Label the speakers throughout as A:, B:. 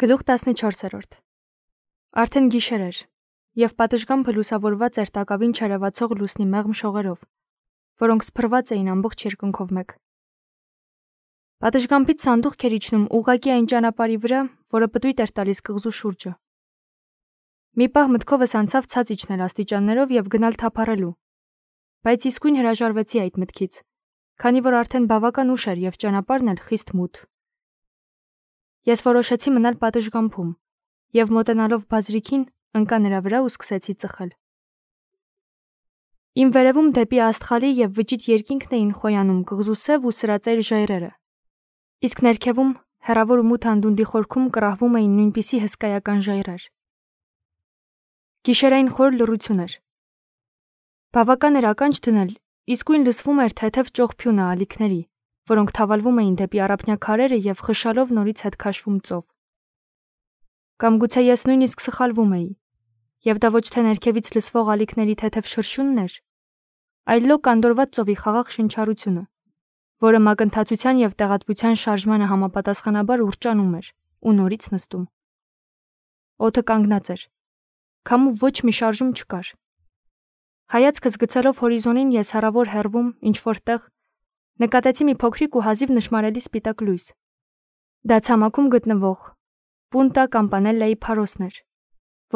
A: Գլուխ 14 Արդեն գիշեր էր, և պատշգամբը լուսավորված էր տակավին չերևացող լուսնի մեղմ շողերով, որոնք սփռված էին ամբողջ երկնքով մեկ։ Պատշգամբից սանդուղք էր իջնում ուղղակի այն ճանապարհի վրա, որը պտույտ էր տալիս կղզու շուրջը։ Մի պահ մտքովս անցավ ցած իջնել աստիճաններով և գնալ թափառելու, բայց իսկույն հրաժարվեցի այդ մտքից, քանի որ արդեն բավական ուշ էր և ճանապարհն էլ խիստ մութ։ Ես որոշեցի մնալ պատշգամբում և մոտենալով բազրիքին ընկա նրա վրա ու սկսեցի ծխել։ Իմ վերևում դեպի աստղալի և վճիտ երկինքն էին խոյանում կղզու սև ու սրածայր ժայռերը, իսկ ներքևում հեռավոր ու մութ անդունդի խորքում կռահվում էին նույնպիսի հսկայական ժայռեր։ Գիշերային խոր լռություն էր։ Բավական էր ականջ դնել, իսկույն լսվում էր թեթև ճողփյունը ալիքների, որոնք թավալվում էին դեպի առափնյա քարերը և խշշալով նորից հետ քաշվում ծով։ Կամ գուցե ես նույնիսկ սխալվում էի, և դա ոչ թե ներքևից լսվող ալիքների թեթև շրշյունն էր, այլ լոկ անդորրված ծովի խաղաղ շնչառությունը, որը մակընթացության և տեղատվության շարժմանը համապատասխանաբար ուռճանում էր ու նորից նստում։ Օդը կանգնած էր, քամու ոչ մի շարժում չկար։ Հայացքս գցելով հորիզոնին ես հեռավոր հեռվում ինչ-որ տեղ նկատեցի մի փոքրիկ ու հազիվ նշմարելի սպիտակ լույս։ Դա ցամաքում գտնվող Պունտա Կամպանելլայի փարոսն էր,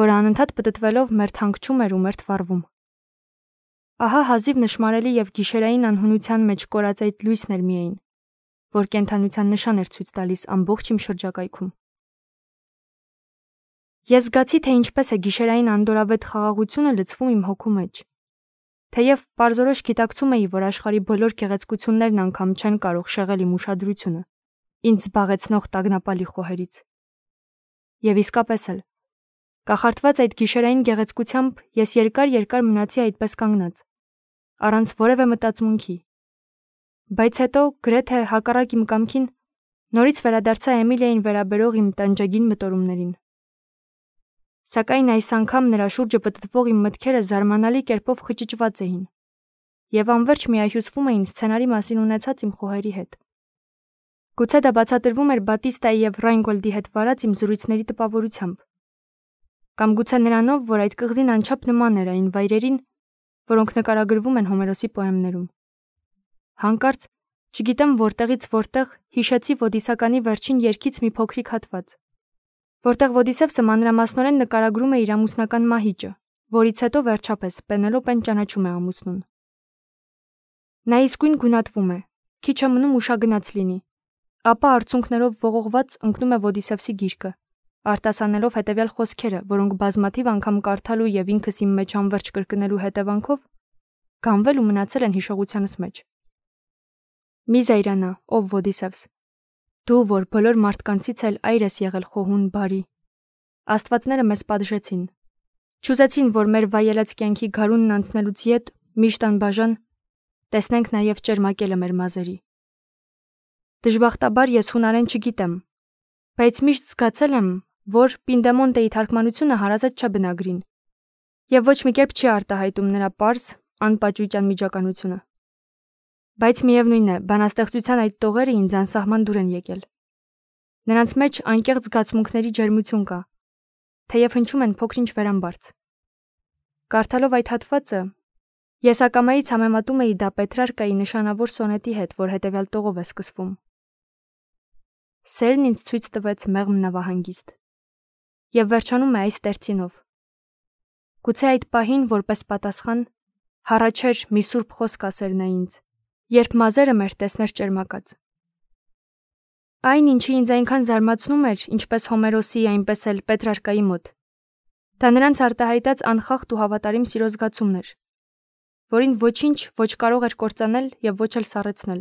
A: որը անընդհատ պտտվելով մերթ հանգչում էր ու մերթ վառվում։ Ահա հազիվ նշմարելի և գիշերային անհունության մեջ կորածայդ լույսն էր միայն, որ կենդանության նշան էր ցույց տալիս ամբողջ իմ շրջակայքում։ Ես զգացի, թե ինչպես է գիշերային անդորրավետ խաղաղությունը լցվում իմ հոգու մեջ։ Թեև պարզորոշ գիտակցում էի, որ աշխարհի բոլոր գեղեցկություններն անգամ չեն կարող շեղել իմ ուշադրությունը, ինձ զբաղեցնող տագնապալի խոհերից։ Եվ իսկապես էլ, կախարդված այդ գիշերային գեղեցկությամբ ես երկար մնացի այդպես կանգնած, առանց որևէ մտածմունքի։ Բայց հետո, գրեթե հակառակ իմ կամքին, նորից վերադարձա Էմիլիային վերաբերող իմ տանջագին մտորումներին։ Սակայն այս անգամ նրա շուրջը պտտվող իմ մտքերը զարմանալի կերպով խճճված էին և անվերջ միահյուսվում էին սցենարի մասին ունեցած իմ խոհերի հետ։ Գուցե դա բացատրվում էր Բատիստայի և Ռայնգոլդի հետ վարած իմ զրույցների տպավորությամբ, կամ գուցե նրանով, որ այդ կղզին անչափ նման էր այն վայրերին, որոնք նկարագրվում են Հոմերոսի պոեմներում։ Հանկարծ, չգիտեմ որտեղից որտեղ, հիշեցի Ոդիսականի վերջին երգից մի փոքրիկ հատված, որտեղ Ոդիսևսը մանրամասնորեն նկարագրում է իր ամուսնական մահիճը, որից հետո վերջապես Պենելոպեն ճանաչում է ամուսնուն։ Նա իսկույն գունատվում է, քիչ է մնում ուշագնաց լինի, ապա արցունքներով ողողված ընկնում է Ոդիսևսի գիրկը, արտասանելով հետևյալ խոսքերը, որոնք բազմաթիվ անգամ կարդալու և ինքս իմ մեջ անվերջ կրկնելու հետևանքով գանվել ու մնացել են հիշողությանս մեջ։ Մի զայրանա, ով Ոդիսևս, դու, որ բոլոր մարդկանցից էլ այր ես եղել խոհուն բարի։ Աստվածները մեզ պատժեցին, չուզեցին, որ մեր վայելած կյանքի գարունն անցնելուց ետ միշտ անբաժան տեսնենք նաև ճերմակելը մեր մազերի։ Դժբախտաբար ես հունարեն չգիտեմ, բայց միշտ զգացել եմ, որ Պինդեմոնտեի թարգմանությունը հարազատ չէ բնագրին, և ոչ մի կերպ չի արտահայտում նրա պարզ, անպաճույճ անմիջականությունը։ Բայց միևնույն է, բանաստեղծության այդ տողերը ինձ անսահման դուր են եկել։ Նրանց մեջ անկեղծ զգացմունքների ջերմություն կա, թեև հնչում են փոքր-ինչ վերամբարձ։ Կարդալով այդ հատվածը, ես ակամայից համեմատում էի դա Պետրարկայի նշանավոր սոնետի հետ, որ հետևյալ տողով է սկսվում. Սերն ինձ ցույց տվեց մեղմ նավահանգիստ, և վերջանում է այս տերցինով. գուցե այդ պահին, որպես պատասխան, հառաչեր մի սուրբ խոսք ասեր նա ինձ, երբ մազերը մեր տեսներ ճերմակած։ Այն, ինչի ինձ այնքան զարմացնում էր, ինչպես Հոմերոսի, այնպես էլ Պետրարկայի մոտ, դա նրանց արտահայտած անխախտ ու հավատարիմ սիրո զգացումն էր, որին ոչինչ ոչ կարող էր կործանել և ոչ էլ սառեցնել,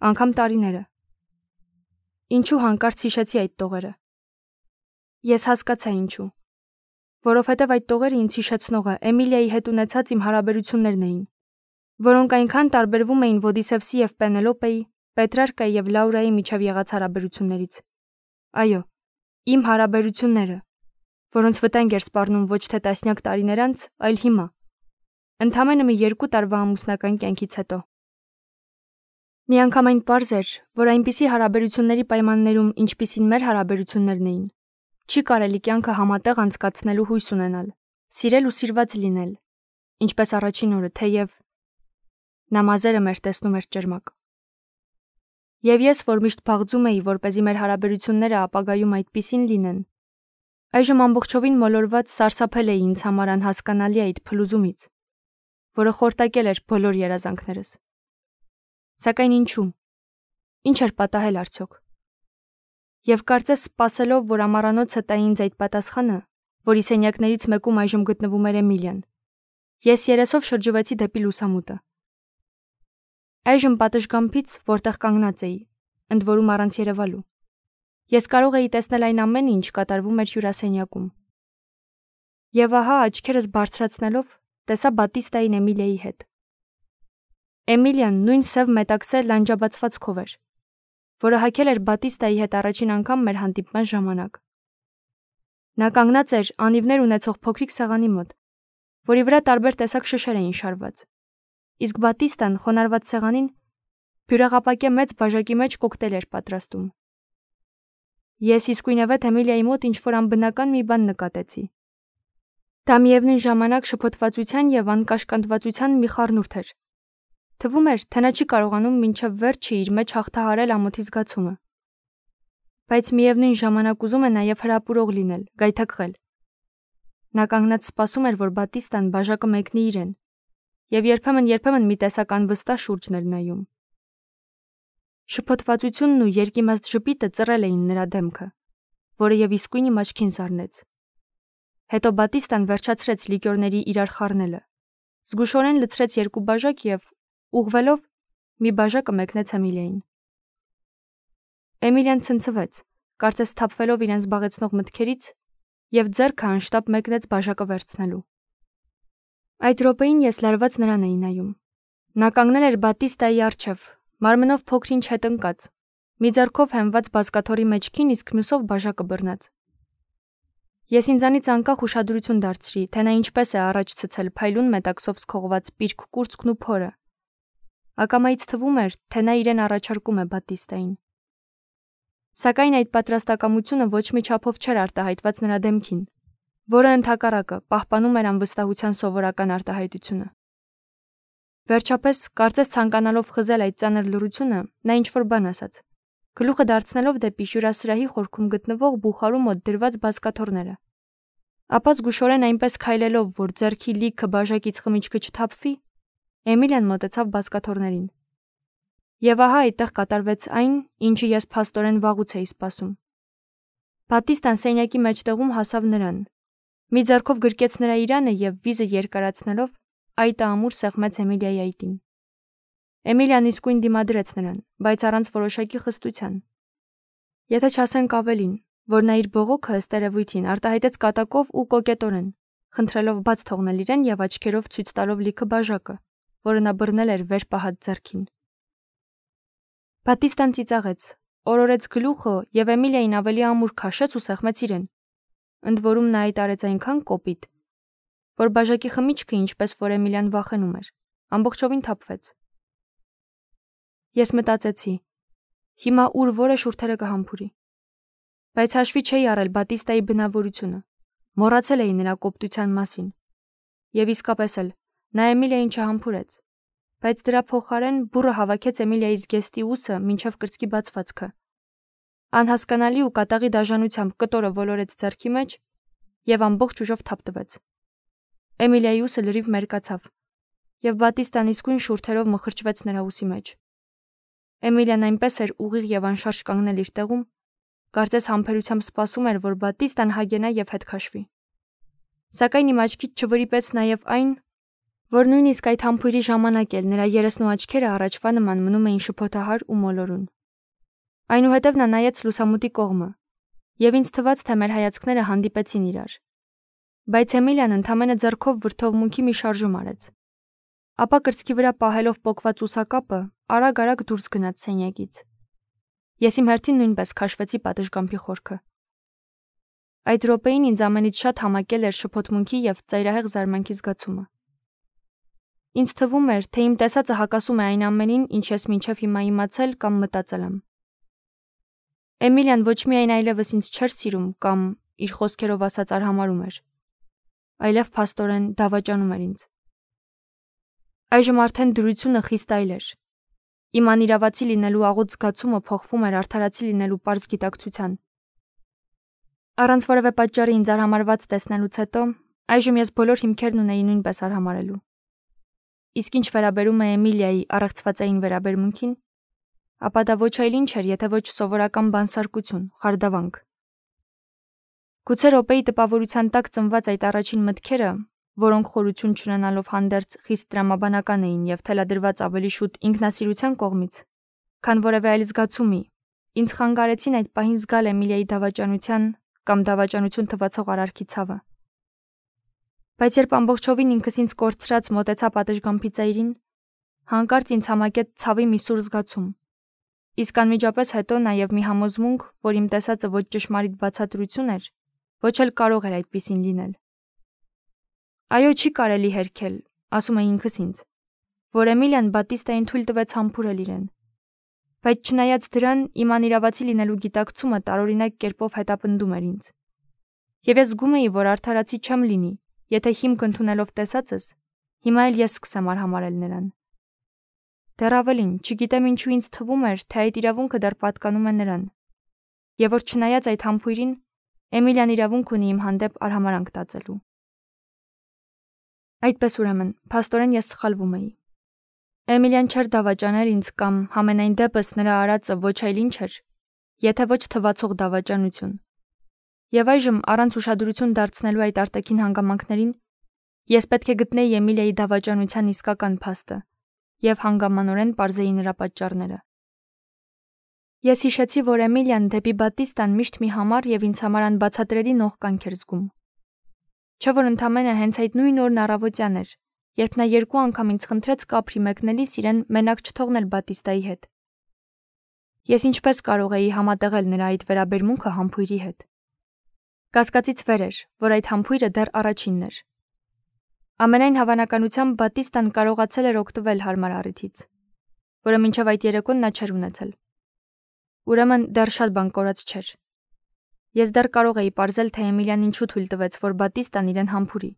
A: անգամ տարիները։ Ինչու հանկարծ հիշեցի այդ տողերը։ Ես հասկացա ինչու, որովհետև այդ տողերը ինձ հիշեցնողը Էմիլիայի հետ ունեցած իմ հարաբերություններն էին, որոնք այնքան տարբերվում էին Ոդիսևսի և Պենելոպեի, Պետրարկայի և Լաուրայի միջև եղած հարաբերություններից։ Այո, իմ հարաբերությունները, որոնց վտանգ էր սպառնում ոչ թե տասնյակ տարիներ անց, այլ հիմա, ընդամենը մի 2 տարվա ամուսնական կյանքից հետո։ Միանգամայն պարզ էր, որ այնպիսի հարաբերությունների պայմաններում, ինչպիսին մեր հարաբերություններն էին, Չի կարելի կյանքը համատեղ անցկացնելու հույս ունենալ, սիրել ու սիրված լինել, ինչպես առաջին օրը, թեև նա մազերը մեր տեսնում էր ճերմակ։ Եվ ես, որ միշտ փաղձում էի, որպեսզի մեր հարաբերությունները ապագայում այդպիսին լինեն, այժմ ամբողջովին մոլորված սարսափել էի ինձ համար անհասկանալի այդ փլուզումից, որը խորտակել էր բոլոր երազանքներս։ Սակայն ինչու՞։ Ինչ էր պատահել արդյոք։ Եվ կարծես սպասելով, որ ամառանոցը տա ինձ այդ պատասխանը, որի սենյակներից մեկում այժմ գտնվում էր Էմիլիան, ես երեսով շրջվեցի դեպի լուսամուտը։ Այժմ պատշգամբից, որտեղ կանգնած էի, ընդ որում առանց երևալու, ես կարող էի տեսնել այն ամենը, ինչ կատարվում էր հյուրասենյակում։ Եվ ահա աչքերս բարձրացնելով, տեսա Բատիստային Էմիլիայի հետ։ Էմիլիան նույն սև մետաքսե լանջաբացվածքով էր, որը հագել էր Բատիստայի հետ առաջին անգամ մեր հանդիպման ժամանակ։ Նա կանգնած էր անիվներ ունեցող փոքրիկ սեղանի մոտ, որի վրա տարբեր տեսակ շշեր էին շարված, իսկ Բատիստան խոնարհված սեղանին բյուրեղապակե մեծ բաժակի մեջ կոկտեյլ էր պատրաստում։ Ես իսկույնևեթ Էմիլիայի մոտ ինչ-որ անբնական մի բան նկատեցի։ Դա միևնույն ժամանակ շփոթվածության և անկաշկանդվածության մի խառնուրդ էր։ Թվում էր, թե նա չի կարողանում մինչև վերջը իր մեջ հաղթահարել ամոթի զգացումը։ Բայց միևնույն ժամանակ ուզում է նաև հրապուրող լինել, գայթակղել։ Նա կանգնած սպասում էր, որ Բատիստան բաժակը մեկնի իրեն, և երբեմն մի տեսակ անվստահ շուրջն էր նայում։ Շփոթվածությունն ու երկիմաստ ժպիտը ծռել էին նրա դեմքը, որը և իսկույն իմ աչքին զարնեց։ Հետո Բատիստան վերջացրեց լիկյորների իրար խառնելը, զգուշորեն լցրեց 2 բաժակ և, ուղղվելով, մի բաժակը մեկնեց Էմիլիային։ Էմիլիան ցնցվեց, կարծես սթափվելով իրեն զբաղեցնող մտքերից, և ձեռքը անշտապ մեկնեց բաժակը վերցնելու։ Այդ րոպեին ես լարված նրան էի նայում։ Նա կանգնել էր Բատիստայի առջև, մարմնով փոքր-ինչ հետ ընկած, մի ձեռքով հենված բազկաթոռի մեջքին, իսկ մյուսով բաժակը բռնած։ Ես ինձանից անկախ ուշադրություն դարձրի, թե նա ինչպես է առաջ ցցել փայլուն մետաքսով սքողված պիրկ կուրծքն ու փորը։ Ակամայից թվում էր, թե նա իրեն առաջարկում է Բատիստային։ Սակայն այդ պատրաստակամությունը ոչ մի չափով չէր արտահայտված նրա դեմքին, որը ընդհակառակը պահպանում էր անվստահության սովորական արտահայտությունը։ Վերջապես, կարծես ցանկանալով խզել այդ ծանր լռությունը, նա ինչ-որ բան ասաց, գլուխը դարձնելով դեպի հյուրասրահի խորքում գտնվող բուխարու մոտ դրված բազկաթոռները։ Ապա զգուշորեն այնպես քայլելով, որ ձեռքի լիքը բաժակից խմիչքը չթափվի, Էմիլիան մոտեցավ բազկաթոռներին։ Եվ ահա այդտեղ կատարվեց այն, ինչը ես փաստորեն վաղուց էի սպասում։ Բատիստան սենյակի մեջտեղում հասավ նրան, մի ձեռքով գրկեց նրա իրանը և վիզը երկարացնելով, այտը ամուր սեղմեց Էմիլիայի այտին։ Էմիլիան իսկույն դիմադրեց նրան, բայց առանց որոշակի խստության։ Եթե չասենք ավելին, որ նա իր բողոքը ըստ երևույթին արտահայտեց կատակով ու կոկետորեն, խնդրելով բաց թողնել իրեն և աչքերով ցույց տալով լիքը բաժակը, որը նա բռնել էր վեր պահած ձեռքին։ Բատիստան ծիծաղեց, օրորեց գլուխը և Էմիլիային ավելի ամուր քաշեց ու սեղմեց իրեն։ Ընդ որում նա այդ արեց այնքան կոպիտ, որ բաժակի խմիչքը, ինչպես որ Էմիլիան վախենում էր, ամբողջովին թափվեց։ Ես մտածեցի. հիմա ուր որը շուրթերը կհամբուրի։ Բայց հաշվի չէի առել Բատիստայի բնավորությունը, մոռացել էի նրա կոպտության մասին։ Եվ իսկապես էլ, նա Էմիլիային չհամբուրեց, բայց դրա փոխարեն բուռը հավաքեց Էմիլիայի զգեստի ուսը մինչև կրծքի բացվածքը։ Անհասկանալի ու կատաղի դաժանությամբ կտորը ոլորեց ձեռքի մեջ և ամբողջ ուժով թափտվեց։ Էմիլիայի ուսը լրիվ մերկացավ, և Բատիստան իսկույն շուրթերով մխրճվեց նրա ուսի մեջ։ Էմիլիան այնպես էր ուղիղ և անշարժ կանգնել իր տեղում, կարծես համբերությամբ սպասում էր, որ Բատիստան հագենա և հետ քաշվի։ Սակայն իմ աչքից չվրիպեց նաև այն, որ նույնիսկ այդ համբույրի ժամանակ էլ նրա երեսն ու աչքերը առաջվա նման մնում էին շփոթահար ու մոլորուն։ Այնուհետև նա նայեց լուսամուտի կողմը, և ինձ թվաց, թե մեր հայացքները հանդիպեցին իրար։ Բայց Էմիլիան ընդամենը ձեռքով վրդովմունքի մի շարժում արեց։ Ապա կրծքի վրա պահելով պոկված ուսակապը, արագ դուրս գնաց սենյակից։ Ես իմ հերթին նույնպես քաշվեցի պատշգամբի խորքը։ Այդ րոպեին ինձ ամենից շատ համակել էր շփոթմունքի և ծայրահեղ զարմանքի զգացումը։ Ինձ թվում էր, թե իմ տեսածը հակասում է այն ամենին, ինչ ես մինչև հիմա իմացել կամ մտածել եմ։ Էմիլիան ոչ միայն այլևս ինձ չէր սիրում կամ, իր խոսքերով ասած արհամարում էր, այլև փաստորեն դավաճանում էր ինձ։ Այժմ արդեն դրությունը խիստ այլ էր։ Իմ անիրավացի լինելու աղոտ զգացումը փոխվում էր արդարացի լինելու պարզ գիտակցության։ Առանց որևէ պատճառի ինձ արհամարված տեսնելուց հետո, այժմ ես բոլոր հիմքերն ունեի նույնպես արհամարելու։ Իսկ ինչ վերաբերում է Էմիլիայի առեղծվածային վերաբերմունքին, ապա դա ոչ այլ ինչ էր, եթե ոչ սովորական բանսարկություն, խարդավանք։ Գուցե րոպեի տպավորության տակ ծնված այդ առաջին մտքերը, որոնք խորություն չունենալով հանդերձ խիստ տրամաբանական էին եւ թելադրված ավելի շուտ ինքնասիրության կողմից, քան որևէ այլ զգացումի, ինձ խանգարեցին այդ պահին զգալ Էմիլիայի դավաճանության կամ դավաճանություն թվացող արարքի ցավը։ Բայց երբ ամբողջովին ինքս ինձ կորցրած մոտեցա պատշգամբի ծայրին, հանկարծ ինձ համակեց ցավի մի սուր զգացում, իսկ անմիջապես հետո նաև մի համոզմունք, որ իմ տեսածը ոչ ճշմարիտ բացատրություն էր, ոչ էլ կարող էր այդպիսին լինել։ Այո, չի կարելի հերքել, ասում էի ինքս ինձ, որ Էմիլիան Բատիստային թույլ տվեց համբուրել իրեն։ Բայց չնայած դրան, իմ անիրավացի լինելու գիտակցումը տարօրինակ կերպով հետապնդում էր ինձ։ Եվ ես զգում էի, որ արդարացի չեմ լինի, եթե հիմք ընդունելով տեսածս, հիմա էլ ես սկսեմ արհամարել նրան։ Դեռ ավելին, չգիտեմ ինչու ինձ թվում էր, թե այդ իրավունքը դեռ պատկանում է նրան, եւ որ չնայած այդ համբույրին, Էմիլիան իրավունք ունի իմ հանդեպ արհամարանք տածելու։ Այդպես ուրեմն, փաստորեն ես սխալվում էի։ Էմիլիան չէր դավաճանել ինձ կամ համենայն դեպս նրա արածը ոչ այլ ինչ էր, եթե ոչ թվացող դավաճանություն։ Եվ այժմ, առանց ուշադրություն դարձնելու այդ արտաքին հանգամանքներին, ես պետք է գտնեի Էմիլիայի դավաճանության իսկական փաստը եւ հանգամանորեն պարզեի նրա պատճառները։ Ես հիշեցի, որ Էմիլիան դեպի Բատիստան միշտ մի համառ եւ ինձ համար անբացատրելի նող կանք էր զգում։ Չէ՞ որ ընդամենը հենց այդ նույն օրն առավոտյան էր, երբ նա 2 անգամ ինձ խնդրեց կապրի մեկնելիս իրեն մենակ չթողնել Բատիստայի հետ։ Ես ինչպես կարող էի համատեղել նրա այդ վերաբերմունքը համբույրի հետ։ Կասկածից վեր էր, որ այդ համբույրը դեռ առաջինն էր։ Ամենայն հավանականությամբ Բատիստան կարողացել էր օգտվել հարմար առիթից, որը մինչև այդ երեկոն նա չէր ունեցել։ Ուրեմն դեռ շատ բան կորած չէր։ Ես դեռ կարող էի պարզել, թե Էմիլիան ինչու թույլ տվեց, որ Բատիստան իրեն համբուրի։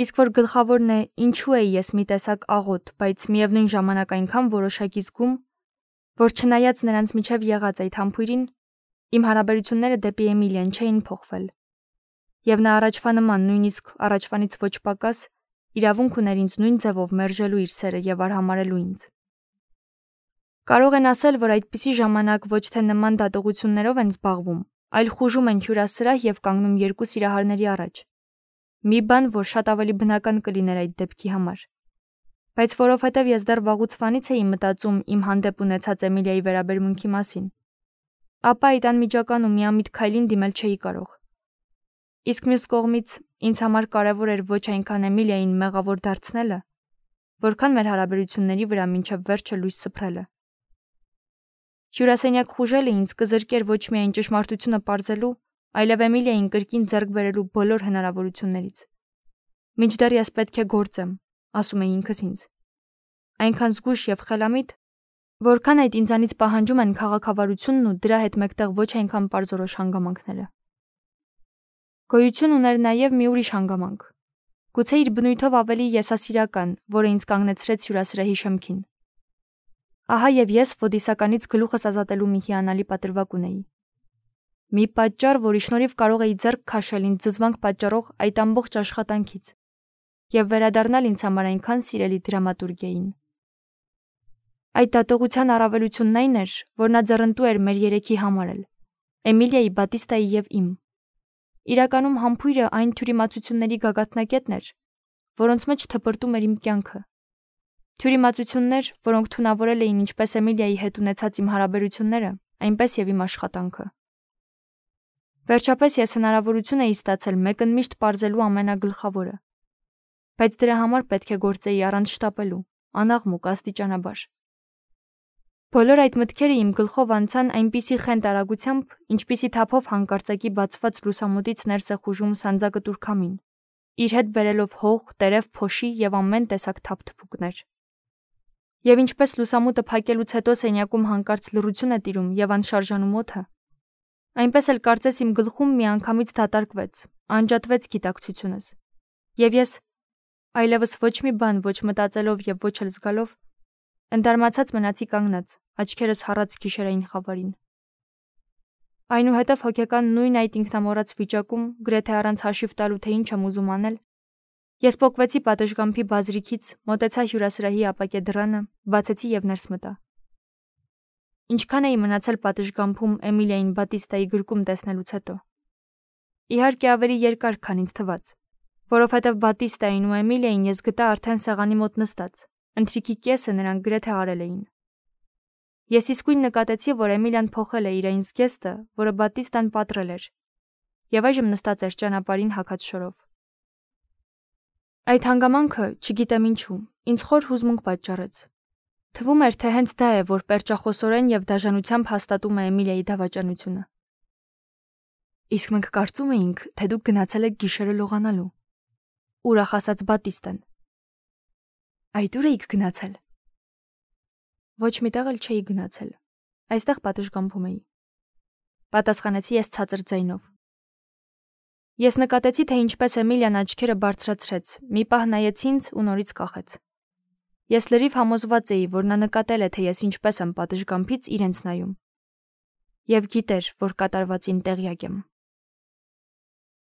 A: Իսկ որ գլխավորն է, ինչու էի ես մի տեսակ աղոտ, բայց միևնույն ժամանակ այնքան որոշակի զգում, որ չնայած նրանց միջև եղած այդ համբույրին, իմ հարաբերությունները դեպի Էմիլիան չէին փոխվել։ Եվ նա առաջվա նման, նույնիսկ առաջվանից ոչ պակաս, իրավունք ուներ ինձ նույն ձևով մերժելու իր սերը եւ արհամարելու ինձ։ Կարող են ասել, որ այդպիսի ժամանակ ոչ թե նման դատողություններով են զբաղվում, այլ խուժում են հյուրասրահ եւ կանգնում երկու սիրահարների առաջ։ Մի բան, որ շատ ավելի բնական կլիներ այդ դեպքի համար։ Բայց որովհետեւ ես դեռ վաղուց վանից էի մտածում իմ հանդեպ ունեցած Էմիլիայի վերաբերմունքի մասին, ապա այդ անմիջական ու միամիտ քայլին դիմել չէի կարող։ Իսկ մյուս կողմից ինձ համար կարևոր էր ոչ այնքան Էմիլիային մեղավոր դարձնելը, որքան մեր հարաբերությունների վրա մինչև վերջը լույս սփռելը։ Հյուրասենյակ խուժելը ինձ կզրկեր ոչ միայն ճշմարտությունը պարզելու, այլև Էմիլիային կրկին ձեռք բերելու բոլոր հնարավորություններից։ Մինչդեռ ես պետք է գործեմ, ասում էի ինքս ինձ։ Այնքան զգույշ եւ խելամիտ, որքան այդ ինձանից պահանջում են քաղաքավարությունն ու դրա հետ մեկտեղ ոչ այնքան պարզորոշ հանգամանքները։ Գոյություն ուներ նաև մի ուրիշ հանգամանք։ Գուցե իր բնույթով ավելի եսասիրական, որը ինձ կանգնեցրեց հյուրասրահի շեմքին։ Ահա եւ ես Ֆոդիսականից գլուխս ազատելու մի հիանալի պատրվակ ունեի։ Մի պատճառ, որի շնորհիվ կարող էի ձեռք քաշել ինձ զզվանք պատճառող այդ ամբողջ աշխատանքից եւ վերադառնալ ինձ համար այնքան սիրելի դրամատուրգիային։ Այդ դատողության առավելությունն այն էր, որ նա ձեռնտու էր մեր երեքի համար էլ, Էմիլիայի, Բատիստայի եւ իմ։ Իրականում համբույրը այն թյուրիմացությունների գագաթնակետն էր, որոնց մեջ թպրտում էր իմ կյանքը։ Թյուրիմացություններ, որոնք թունավորել էին ինչպես Էմիլիայի հետ ունեցած իմ հարաբերությունները, այնպես եւ իմ աշխատանքը։ Վերջապես ես հնարավորություն էի ստացել մեկընդմիշտ պարզելու ամենագլխավորը, բայց դրա համար պետք է գործեի առանց շտապելու, անաղմուկ, աստիճանաբար։ Բոլոր այդ մտքերը իմ գլխով անցան այնպիսի խենթ արագությամբ, ինչպիսի թափով հանկարծակի բացված լուսամուտից ներս է խուժում սանձակտուր քամին, իր հետ բերելով հող, տերև, փոշի եւ ամեն տեսակ թափթփուկներ։ Եվ ինչպես լուսամուտը փակելուց հետո սենյակում հանկարծ լռություն է տիրում եւ անշարժանում օդը, Այնպես էլ կարծես իմ գլխում միանգամից դատարկվեց, անջատվեց գիտակցությունս։ Եվ ես այլևս ոչ մի բան ոչ մտածելով եւ ոչ էլ զգալով ընդարմացած մնացի կանգնած, աչքերս հառած գիշերային խավարին։ Այնուհետև հոգեկան նույն այդ ինքնամոռաց վիճակում, գրեթե առանց հաշիվ տալու թե ինչ եմ ուզում անել, ես պոկվեցի պատշգամբի բազրիքից, մոտեցա հյուրասրահի ապակե դռանը, բացեցի եւ ներս մտա։ Ինչքան էի մնացել պատշգամբում Էմիլիային Բատիստայի գրկում տեսնելուց հետո։ Իհարկե ավելի երկար, քան ինձ թվաց, որովհետև Բատիստային ու Էմիլիային ես գտա արդեն սեղանի մոտ նստած, ընթրիքի կեսը նրանք գրեթե արել էին։ Ես իսկույն նկատեցի, որ Էմիլիան փոխել է իր այն զգեստը, որը Բատիստան պատռել էր, եւ այժմ նստած էր ճանապարհին հագած շորով։ Այդ հանգամանքը, չգիտեմ ինչու, ինձ խոր հուզմունք պատճառեց։ Թվում էր, թե հենց դա է, որ պերճախոսորեն եւ դաժանությամբ հաստատում է Էմիլիայի դավաճանությունը։ Իսկ մենք կարծում էինք, թե դուք գնացել եք գիշերը լողանալու։ Ուրախ ասաց Բատիստան։ Այդ ուր էիք գնացել։ Ոչ միտեղ էլ չէի գնացել։ Այստեղ պատշգամբում էի։ Պատասխանեցի ես ցածր ձայնով։ Ես նկատեցի, թե ինչպես Էմիլիան աչքերը բարձրացրեց, մի պահ նայեց ինձ ու նորից կախեց։ Ես լրիվ համոզված էի, որ նա նկատել է, թե ես ինչպես եմ պատշգամբից իրենց նայում։ Եվ գիտեր, որ կատարվածին տեղյակ եմ։